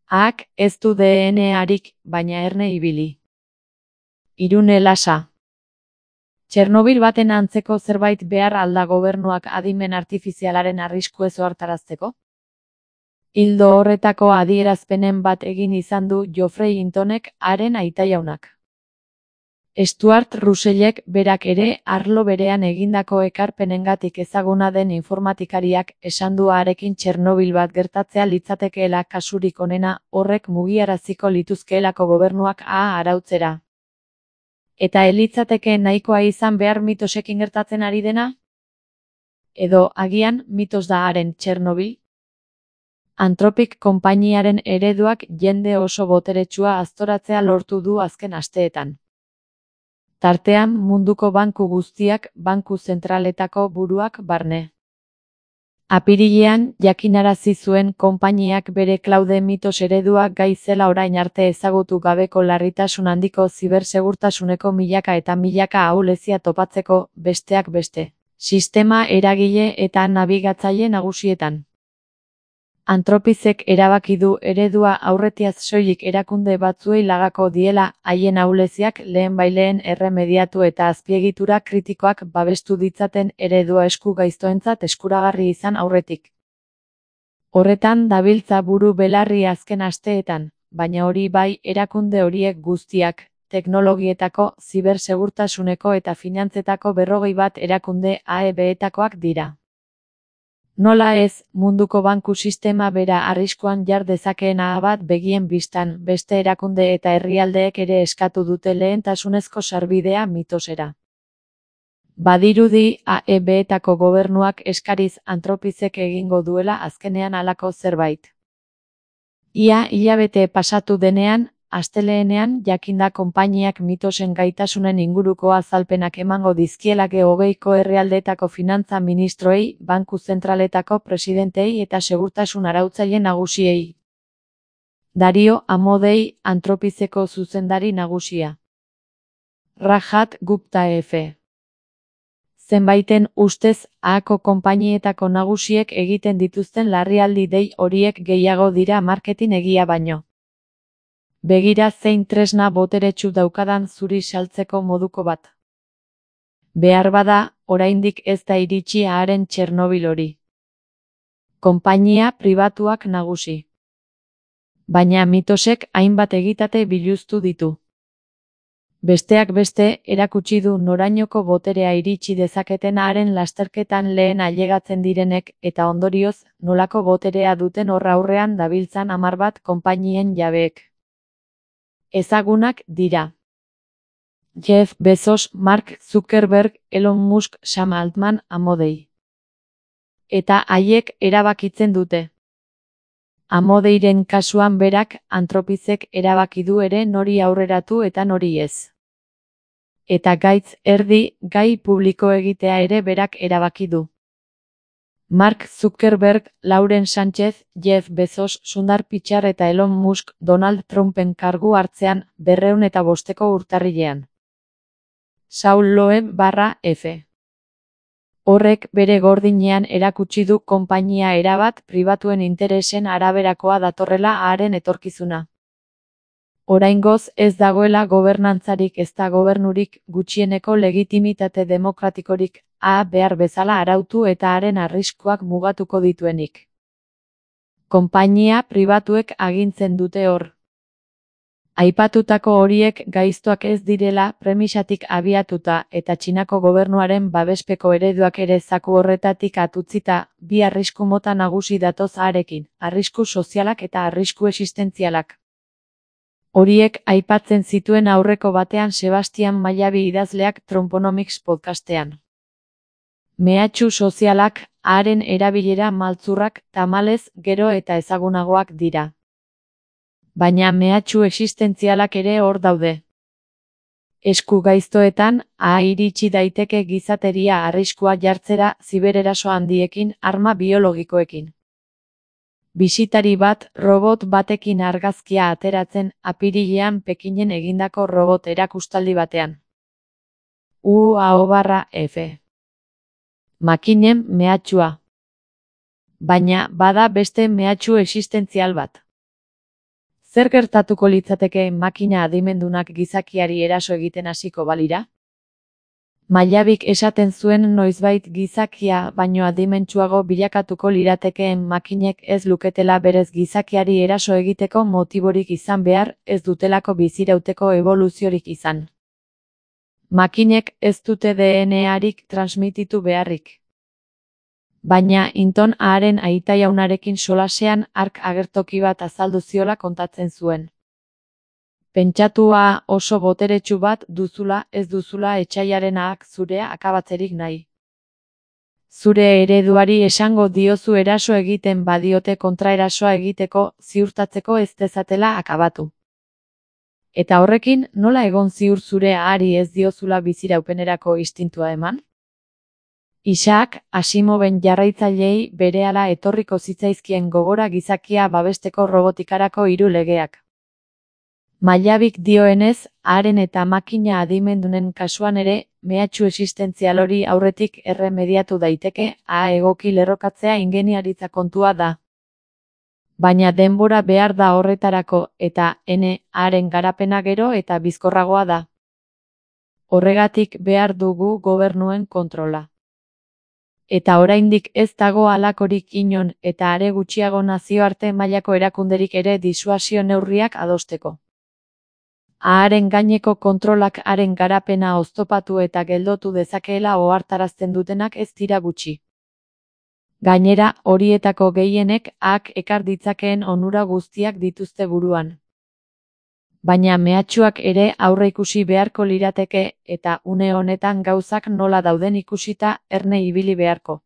Ak ez du DNA-arik, baina erne ibili. Irune Lasa. Txernobil baten antzeko zerbait behar alda gobernuak adimen artifizialaren arriskuez ohartarazteko? Ildo horretako adierazpenen bat egin izan du Geoffrey Hintonek, haren aitajaunak. Stuart Russellek berak ere arlo berean egindako ekarpenengatik ezaguna den informatikariak esan du harekin Txernobil bat gertatzea litzatekeela kasurik onena, horrek mugiaraziko lituzkeelako gobernuak arautzera. Eta elitzateke nahikoa izan behar mitosekin gertatzen ari dena? Edo agian mitos da haren Txernobil? Anthropic konpainiaren ereduak jende oso boteretsua aztoratzea lortu du azken asteetan. Tartean munduko banku guztiak, banku zentraletako buruak barne. Apirilean jakinarazi zuen konpainiak bere klaude mitos eredua gai zela orain arte ezagutu gabeko larritasun handiko zibersegurtasuneko milaka eta milaka ahulezia topatzeko, besteak beste, sistema eragile eta nabigatzaile nagusietan. Anthropicek erabaki du eredua aurretiaz soilik erakunde batzuei lagako diela, haien ahuleziak lehenbailehen erremediatu eta azpiegitura kritikoak babestu ditzaten eredua esku gaiztoentzat eskuragarri izan aurretik. Horretan dabiltza buru belarri azken asteetan, baina hori bai erakunde horiek guztiak, teknologietako, zibersegurtasuneko eta finantzetako 21 erakunde AEB-etakoak dira. Nola ez, munduko banku sistema bera arriskuan jar dezakeen bat begien bistan, beste erakunde eta herrialdeek ere eskatu dute lehentasunezko sarbidea mitosera. Badirudi AEB-etako gobernuak eskariz Anthropicek egingo duela azkenean halako zerbait. Ia hilabete pasatu denean, astelehenean jakinda konpainiak mitosen gaitasunen inguruko azalpenak emango dizkiela G20ko herrialdeetako finantza ministroei, banku zentraletako presidentei eta segurtasun arautzaile nagusiei. Dario Amodei, Anthropiceko zuzendari nagusia. Rajat Gupta F. Zenbaiten ustez, AAko konpainietako nagusiek egiten dituzten larrialdi dei horiek gehiago dira marketing egia baino. Begira zein tresna boteretsu daukadan zuri saltzeko moduko bat. Behar bada, oraindik ez da iritsi haren Txernobil hori. Konpainia pribatuak nagusi. Baina mitosek hainbat egitate biluztu ditu. Besteak beste, erakutsi du norainoko boterea iritsi dezaketen haren lasterketan lehen ailegatzen direnek eta ondorioz, nolako boterea duten horra aurrean dabiltzan 10 konpainien jabeek. Ezagunak dira. Jeff Bezos, Mark Zuckerberg, Elon Musk, Sam Altman, Amodei. Eta haiek erabakitzen dute. Amodeiren kasuan berak, Anthropicek erabaki du ere nori aurreratu eta nori ez. Eta gaitz erdi, gai publiko egitea ere berak erabaki du. Mark Zuckerberg, Lauren Sánchez, Jeff Bezos, Sundar Pichai eta Elon Musk Donald Trumpen kargu hartzean 205 urtarrilean. Saul Loeb/F. Horrek bere gordinean erakutsi du konpainia erabat pribatuen interesen araberakoa datorrela haren etorkizuna. Oraingoz ez dagoela gobernantzarik ezta gobernurik gutxieneko legitimitate demokratikorik behar bezala arautu eta haren arriskuak mugatuko dituenik. Konpainia pribatuek agintzen dute hor. Aipatutako horiek gaiztoak ez direla premisatik abiatuta eta Txinako gobernuaren babespeko ereduak ere zaku horretatik atutzita, bi arrisku mota nagusi datoz harekin, arrisku sozialak eta arrisku existentzialak. Horiek aipatzen zituen aurreko batean Sebastian Mailabi idazleak Trumponomics podcastean. Mehatxu sozialak, haren erabilera maltzurrak, tamalez, gero eta ezagunagoak dira. Baina mehatxu existentzialak ere hor daude. Esku gaiztoetan, iritsi daiteke gizateria arriskua jartzera zibereraso handiekin, arma biologikoekin. Bisitari bat, robot batekin argazkia ateratzen, apirilean Pekinen egindako robot erakustaldi batean. UAO/F. Makinen mehatxua. Baina, bada beste mehatxu existentzial bat. Zer gertatuko litzateke makina adimendunak gizakiari eraso egiten hasiko balira? Mailabik esaten zuen noizbait gizakia baino adimentsuago bilakatuko liratekeen makinek ez luketela berez gizakiari eraso egiteko motiborik izan behar, ez dutelako bizirauteko eboluziorik izan. Makinek ez dute DNA-arik transmititu beharrik. Baina Hinton haren aita jaunarekin solasean hark agertoki bat azaldu ziola kontatzen zuen. Pentsatua oso boteretsu bat duzula, ez duzula etsaiarenak zurea akabatzerik nahi. Zure ereduari esango diozu eraso egiten badiote kontraerasoa egiteko, ziurtatzeko ez dezatela akabatu. Eta horrekin, nola egon ziur zure ahari ez diozula biziraupenerako instintua eman? Isaac Asimoven jarraitzaileei berehala etorriko zitzaizkien gogora gizakia babesteko robotikarako 3 legeak. Mailabik dioenez, haren eta makina adimendunen kasuan ere, mehatxu existentzial hori aurretik erremediatu daiteke, egoki lerrokatzea ingeniaritza kontua da. Baina denbora behar da horretarako, eta haren garapena gero eta bizkorragoa da. Horregatik behar dugu gobernuen kontrola. Eta oraindik ez dago halakorik inon, eta are gutxiago nazioarte mailako erakunderik ere disuasio neurriak adosteko. Haren gaineko kontrolak haren garapena oztopatu eta geldotu dezakeela ohartarazten dutenak ez dira gutxi. Gainera, horietako gehienek ekar ditzakeen onura guztiak dituzte buruan. Baina mehatxuak ere aurreikusi beharko lirateke eta une honetan gauzak nola dauden ikusita erne ibili beharko.